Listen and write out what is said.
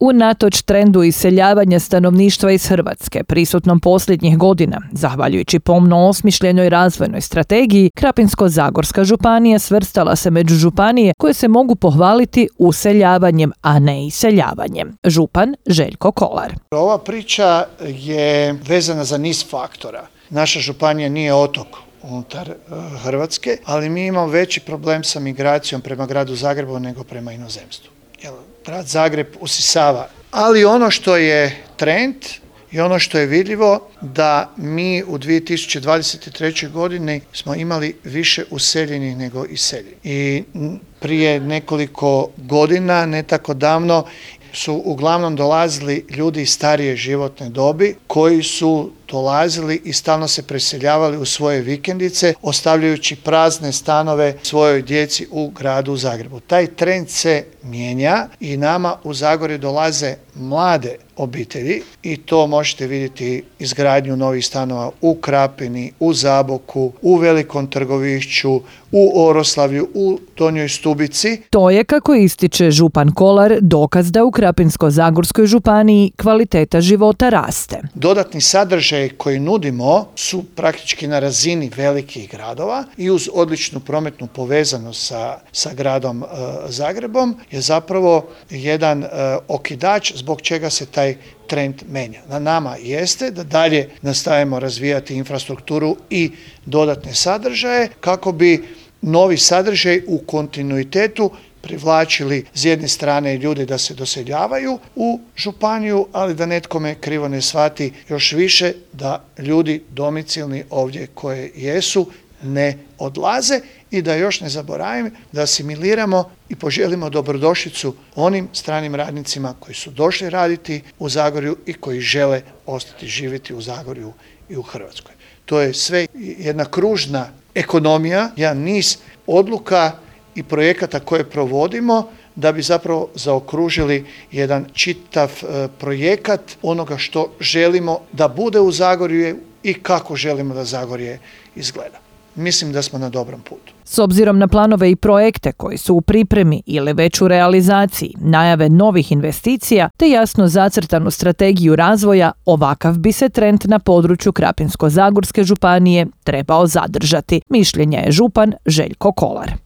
Unatoč trendu iseljavanja stanovništva iz Hrvatske, prisutnom posljednjih godina, zahvaljujući pomno osmišljenoj razvojnoj strategiji, Krapinsko-zagorska županija svrstala se među županije koje se mogu pohvaliti useljavanjem, a ne iseljavanjem. Župan Željko Kolar. Ova priča je vezana za niz faktora. Naša županija nije otok unutar Hrvatske, ali mi imamo veći problem sa migracijom prema gradu Zagrebu nego prema inozemstvu. Grad Zagreb usisava. Ali ono što je trend i ono što je vidljivo da mi u 2023. godini smo imali više useljenih nego iseljenih. I prije nekoliko godina, ne tako davno, su uglavnom dolazili ljudi iz starije životne dobi koji su dolazili i stalno se preseljavali u svoje vikendice, ostavljajući prazne stanove svojoj djeci u gradu Zagrebu. Taj trend se mijenja i nama u Zagorju dolaze mlade obitelji i to možete vidjeti izgradnju novih stanova u Krapini, u Zaboku, u Velikom Trgovišću, u Oroslavlju, u Donjoj Stubici. To je, kako ističe župan Kolar, dokaz da u Krapinsko-zagorskoj županiji kvaliteta života raste. Dodatni sadržaj koji nudimo su praktički na razini velikih gradova i uz odličnu prometnu povezanost sa gradom Zagrebom je zapravo jedan okidač zbog čega se taj trend menja. Na nama jeste da dalje nastavimo razvijati infrastrukturu i dodatne sadržaje kako bi novi sadržaj u kontinuitetu privlačili s jedne strane ljude da se doseljavaju u županiju, ali da netko me krivo ne shvati, još više da ljudi domicilni ovdje koje jesu ne odlaze i da još ne zaboravim da asimiliramo i poželimo dobrodošlicu onim stranim radnicima koji su došli raditi u Zagorju i koji žele ostati živjeti u Zagorju i u Hrvatskoj. To je sve jedna kružna ekonomija, jedan niz odluka i projekata koje provodimo da bi zapravo zaokružili jedan čitav projekat onoga što želimo da bude u Zagorju i kako želimo da Zagorje izgleda. Mislim da smo na dobrom putu. S obzirom na planove i projekte koji su u pripremi ili već u realizaciji, najave novih investicija te jasno zacrtanu strategiju razvoja, ovakav bi se trend na području Krapinsko-zagorske županije trebao zadržati, mišljenja je župan Željko Kolar.